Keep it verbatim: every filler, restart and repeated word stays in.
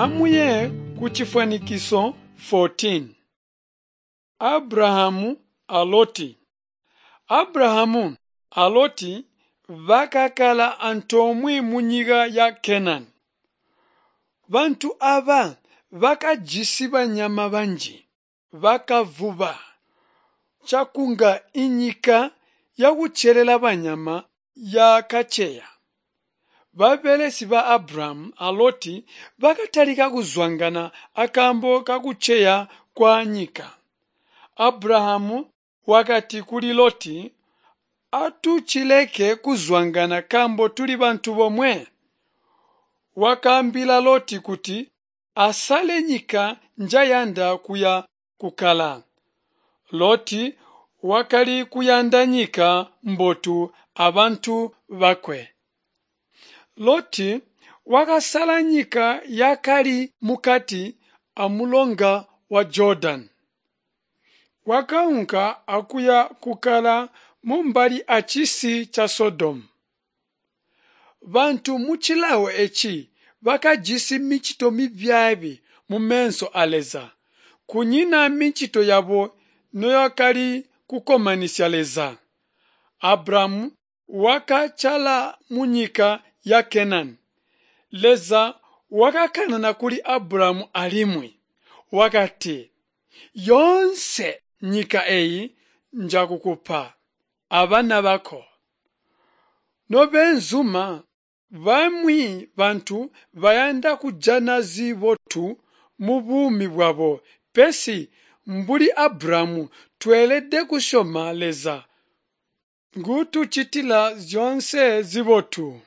Amuye ku cifwanikiso fourteen. Abrahamu a Loti. Abrahamu a Loti bakakkala antoomwe munyika ya Kenani. Bantu aba bakajisi banyama banji, bakavuba cakunga inyika yakucelela banyama yakaceya. Babelesi ba Abrahamu a Loti bakatalika kuzwangana akaambo kakuceya kwanyika. Abrahamu wakati kuli Loti, "Atucileke kuzwangana nkaambo tuli bantu bomwe." Wakaambila Loti kuti asale nyika njayanda kuya kukkala. Loti wakali kuyanda nyika mbotu abantu bakwe. Loti wakasala nyika yakali mukati amulonga wa Jordani. Wakaunka akuya kukkala mumbali acisi ca Sodomu. Bantu mucilawo eci bakajisi micito mibyaabi mumeso a Leza. Kunyina micito yabo noyakali kukkomanisya Leza. Abrahamu wakacaala munyika ya Kenani. Leza wakakanana kuli Abrahamu alimwi wakati, "Yoonse nyika eyi njakukupa abana bako." Nobeenzuma, bamwi bantu bayanda kujana zibotu mubuumi bwabo, pesi mbuli Abrahamu tweelede kusyoma Leza nguutucitila zyoonse zibotu.